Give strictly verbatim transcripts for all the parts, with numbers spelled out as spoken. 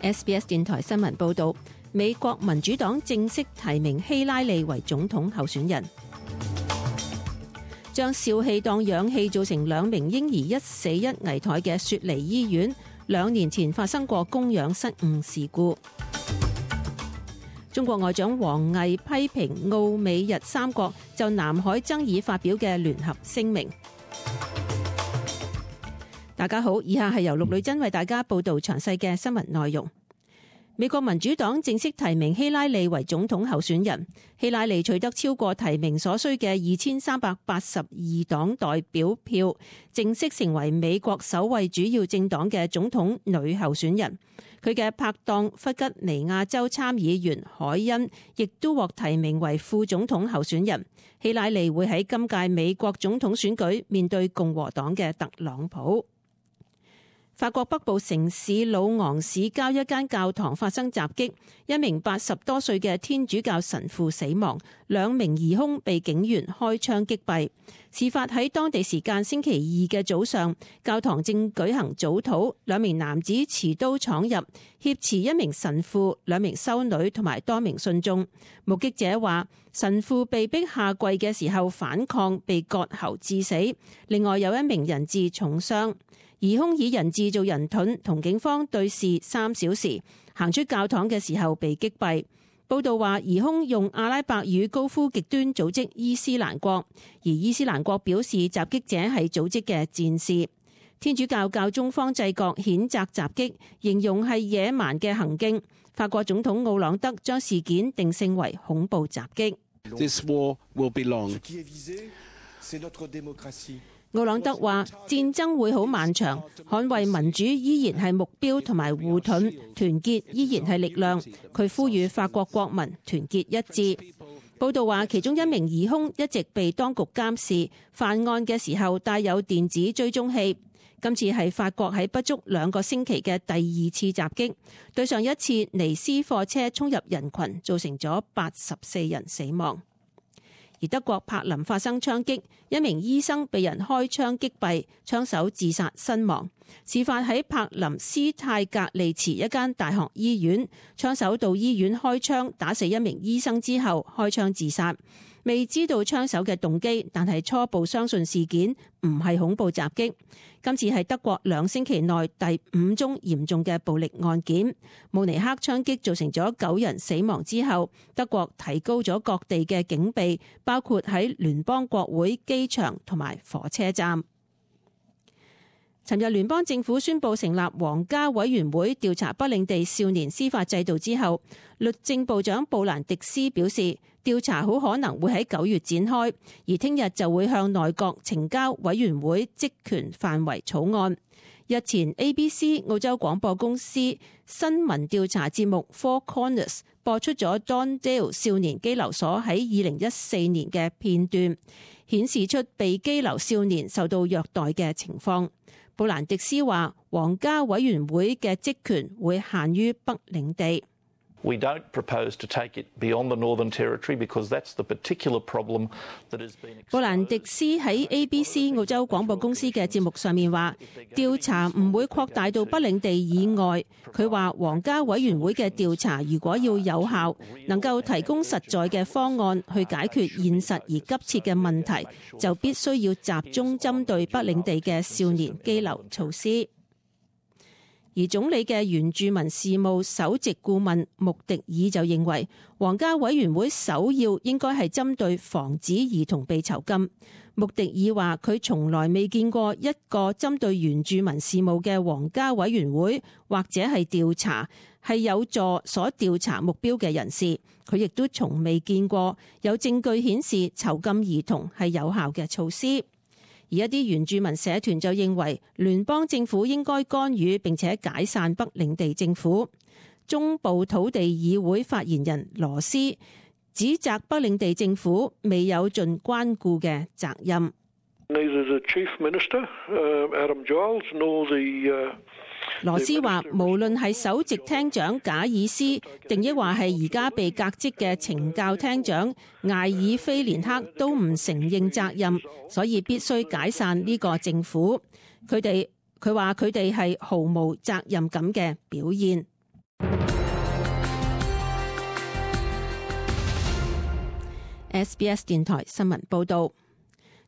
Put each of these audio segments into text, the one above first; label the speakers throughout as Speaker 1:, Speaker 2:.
Speaker 1: S B S 電台新聞報道，美國民主黨正式提名希拉里為總統候選人。將笑氣當氧氣造成兩名嬰兒一死一危殆嘅雪梨醫院，兩年前發生過供氧失誤事故。中國外長王毅批評澳美日三國就南海爭議發表嘅聯合聲明。大家好，以下係由陸女真為大家報道詳細嘅新聞內容。美國民主黨正式提名希拉里為總統候選人，希拉里取得超過提名所需嘅二千三百八十二黨代表票，正式成為美國首位主要政黨嘅總統女候選人。佢嘅拍檔弗吉尼亞州參議員凱恩亦都獲提名為副總統候選人。希拉里會喺今屆美國總統選舉面對共和黨嘅特朗普。法國北部城市魯昂市郊一間教堂發生襲擊，一名八十多歲嘅天主教神父死亡，兩名疑兇被警員開槍擊斃。事發喺當地時間星期二嘅早上，教堂正舉行早禱，兩名男子持刀闖入，挾持一名神父、兩名修女同埋多名信眾。目擊者話，神父被逼下跪嘅時候反抗，被割喉致死。另外有一名人質重傷。疑兇以人質做人盾，同警方對峙三小時，行出教堂嘅時候被擊斃。報道話，疑兇用阿拉伯語高呼極端組織伊斯蘭國，而伊斯蘭國表示襲擊者係組織嘅戰士。天主教教宗方濟各譴責襲擊，形容係野蠻嘅行徑。法國總統奧朗德將事件定性為恐怖襲擊。
Speaker 2: This war will be long.
Speaker 1: 奧朗德話：戰爭會好漫長，捍衛民主依然係目標同埋護盾，團結依然係力量。佢呼籲法國國民團結一致。報道話，其中一名疑兇一直被當局監視，犯案嘅時候帶有電子追蹤器。今次係法國喺不足兩個星期嘅第二次襲擊，對上一次尼斯貨車衝入人群，造成咗八十四人死亡。而德國柏林發生槍擊，一名醫生被人開槍擊斃，槍手自殺身亡。事發喺柏林斯泰格利茨一間大學醫院，槍手到醫院開槍打死一名醫生之後開槍自殺。未知道槍手嘅動機，但係初步相信事件唔係恐怖襲擊。今次係德國兩星期內第五宗嚴重嘅暴力案件。慕尼黑槍擊造成咗九人死亡之後，德國提高咗各地嘅警備，包括喺聯邦國會、機場同埋火車站。尋日聯邦政府宣布成立皇家委員會調查北領地少年司法制度之後，律政部長布蘭迪斯表示，調查好可能會喺九月展開，而聽日就會向內閣呈交委員會職權範圍草案。日前 A B C 澳洲廣播公司新聞調查節目 Four Corners 播出咗 Don Dale 少年羈留所喺二零一四年嘅片段，顯示出被羈留少年受到虐待嘅情況。布蘭迪斯話，皇家委員會嘅職權會限於北領地。
Speaker 3: We don't propose to take it beyond the Northern Territory because that's the particular problem that has been.
Speaker 1: 布蘭迪斯喺 A B C 澳洲廣播公司嘅節目上面話，調查唔會擴大到北領地以外。佢話皇家委員會嘅調查如果要有效，能夠提供實在嘅方案去解決現實而急切嘅問題，就必須要集中針對北領地嘅少年羈留措施。而總理嘅原住民事務首席顧問穆迪爾就認為，皇家委員會首要應該係針對防止兒童被囚禁。穆迪爾話：佢從來未見過一個針對原住民事務嘅皇家委員會，或者係調查係有助所調查目標嘅人士。佢亦都從未見過有證據顯示囚禁兒童係有效嘅措施。而一啲原住民社團就認為聯邦政府應該干預並且解散北領地政府。中部土地議會發言人羅斯指責北領地政府未有盡關顧嘅責任。羅斯話，無論係首席廳長賈爾斯，定抑或係而家被革職嘅懲教廳長艾爾菲連克，都唔承認責任，所以必須解散呢個政府。佢哋佢話佢哋係毫無責任感嘅表現。S B S 電台新聞報道。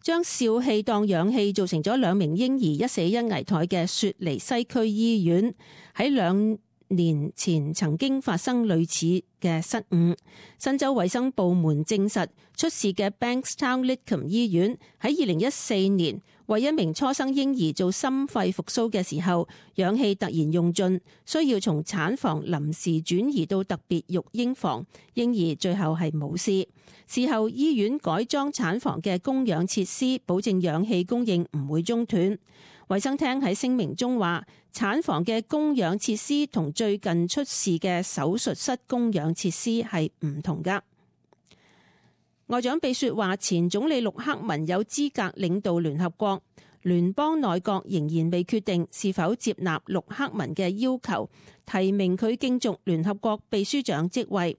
Speaker 1: 將笑氣當氧氣造成咗兩名嬰兒一死一危殆嘅雪梨西區醫院，喺兩年前曾經發生類似嘅失誤。新州衛生部門證實，出事嘅 Bankstown Lidcombe 醫院喺二零一四年為一名初生嬰兒做心肺復甦嘅時候，氧氣突然用盡，需要從產房臨時轉移到特別育嬰房，嬰兒最後係冇事。事後醫院改裝產房嘅供氧設施，保證氧氣供應唔會中斷。衛生廳喺聲明中話，產房嘅供氧設施同最近出事嘅手術室供氧設施係唔同㗎。外長比雪話，前總理陸克文有資格領導聯合國，聯邦內閣仍然未決定是否接納陸克文嘅要求，提名佢競逐聯合國秘書長職位。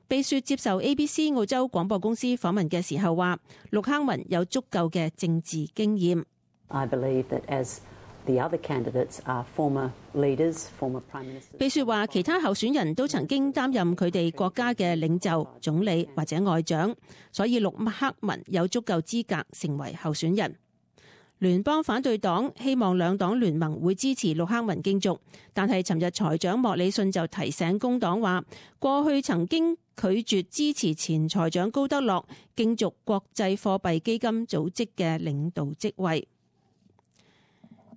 Speaker 1: 比雪接受 A B C 澳洲廣播公司訪問嘅時候話，陸克文有足夠嘅政治經驗。
Speaker 4: I believe that as the other candidates are former leaders, former prime ministers.
Speaker 1: 比雪話，其他候選人都曾經擔任佢哋國家嘅領袖、總理或者外長，所以陸克文有足夠資格成為候選人。聯邦反對黨希望兩黨聯盟會支持陸克文競逐，但係尋日財長莫里遜就提醒工黨話，過去曾經拒絕支持前財長高德樂競逐國際貨幣基金組織嘅領導職位。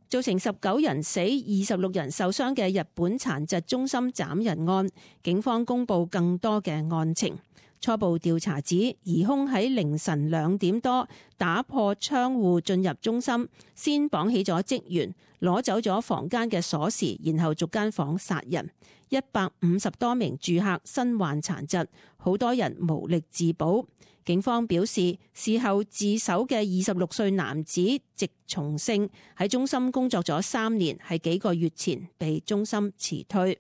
Speaker 1: 造成十九人死、二十六人受傷嘅日本殘疾中心斬人案，警方公布更多嘅案情。初步調查指，疑兇喺凌晨兩點多打破窗戶進入中心，先綁起咗職員，攞走咗房間嘅鎖匙，然後逐間房殺人。一百五十多名住客身患殘疾，好多人無力自保。警方表示，事後自首嘅二十六歲男子植松勝喺中心工作咗三年，喺幾個月前被中心辭退。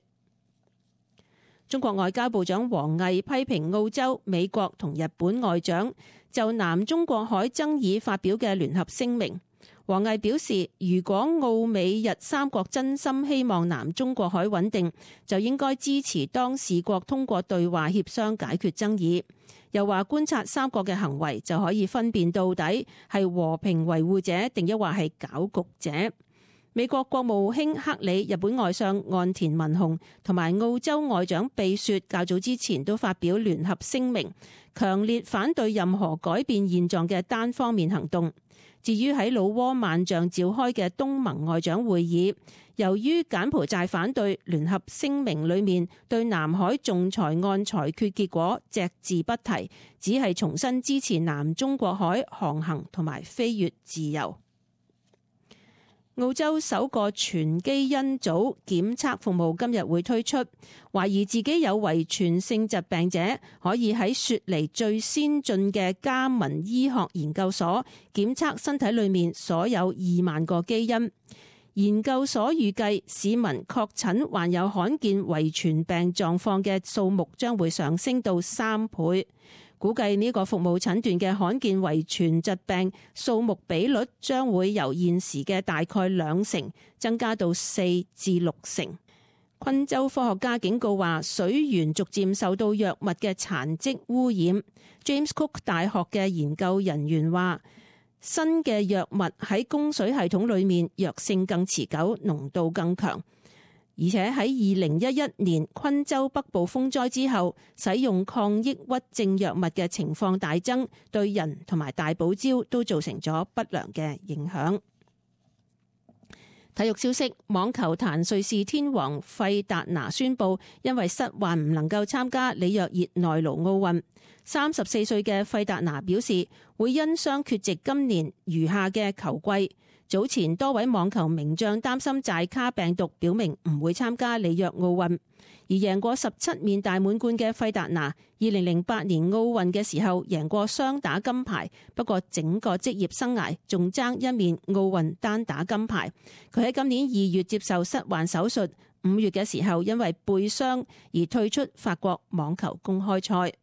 Speaker 1: 中國外交部長王毅批評澳洲、美國同日本外長就南中國海爭議發表嘅聯合聲明。王毅表示，如果澳美日三國真心希望南中國海穩定，就應該支持當事國通過對話協商解決爭議。又話觀察三國嘅行為就可以分辨到底係和平維護者定抑或係搞局者。美國國務卿克里、日本外相岸田文雄同埋澳洲外長比雪較早之前都發表聯合聲明，強烈反對任何改變現狀嘅單方面行動。至於喺老撾萬象召開嘅東盟外長會議，由於柬埔寨反對，聯合聲明裏面對南海仲裁案裁決結果隻字不提，只係重新支持南中國海航行同埋飛越自由。澳洲首個全基因組檢測服務今日會推出，懷疑自己有遺傳性疾病者可以喺雪梨最先進嘅加文醫學研究所檢測身體裏面所有二萬個基因。研究所預計市民確診患有罕見遺傳病狀況嘅數目將會上升到三倍。估計呢個服務診斷嘅罕見遺傳疾病數目比率將會由現時嘅大概兩成增加到四至六成。昆州科學家警告話，水源逐漸受到藥物嘅殘跡污染。James Cook 大學嘅研究人員話，新嘅藥物喺供水系統裏面藥性更持久，濃度更強。而且喺二零一一年昆州北部風災之後，使用抗抑鬱症藥物嘅情況大增，對人同埋大堡礁都造成咗不良嘅影響。體育消息，網球壇瑞士天王費達拿宣布，因為膝患唔能夠參加里約熱內盧奧運。三十四歲嘅費達拿表示，會因傷缺席今年餘下嘅球季。早前多位網球名將擔心寨卡病毒，表明唔會參加里約奧運。而贏過十七面大滿貫嘅費達拿，二零零八年奧運嘅時候贏過雙打金牌，不過整個職業生涯仲爭一面奧運單打金牌。佢喺今年二月接受膝患手術，五月嘅時候因為背傷而退出法國網球公開賽。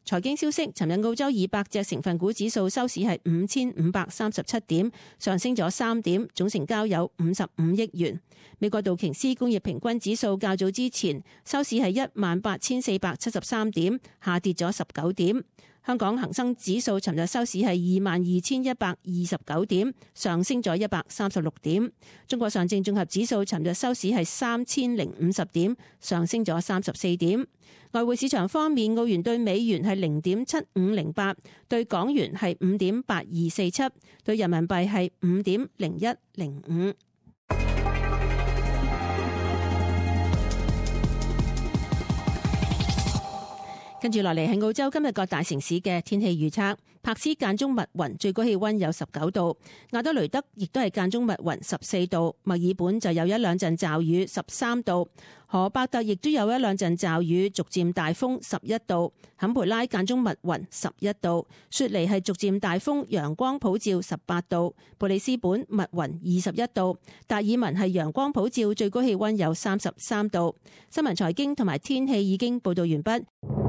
Speaker 1: 財經消息，尋日澳洲二百隻成分股指數收市係五千五百三十七點，上升咗三點，總成交有五十五億元。美國道瓊斯工業平均指數較早之前收市係一萬八千四百七十三點，下跌咗十九點。香港恒生指數尋日收市係二萬二千一百二十九點，上升咗一百三十六點。中國上證綜合指數尋日收市係三千零五十點，上升咗三十四點。外匯市場方面，澳元對美元係零點七五零八，對港元係五點八二四七，對人民幣係五點零一零五。跟住落嚟係澳洲今日各大城市嘅天氣預測。柏斯間中密雲，最高氣溫有十九度；亞德雷德亦都係間中密雲，十四度；墨爾本就有一兩陣驟雨，十三度；荷伯特亦都有一兩陣驟雨，逐漸大風，十一度；坎培拉間中密雲，十一度；雪梨係逐漸大風，陽光普照，十八度；布里斯本密雲，二十一度；達爾文係陽光普照，最高氣溫有三十三度。新聞財經同埋天氣已經報道完畢。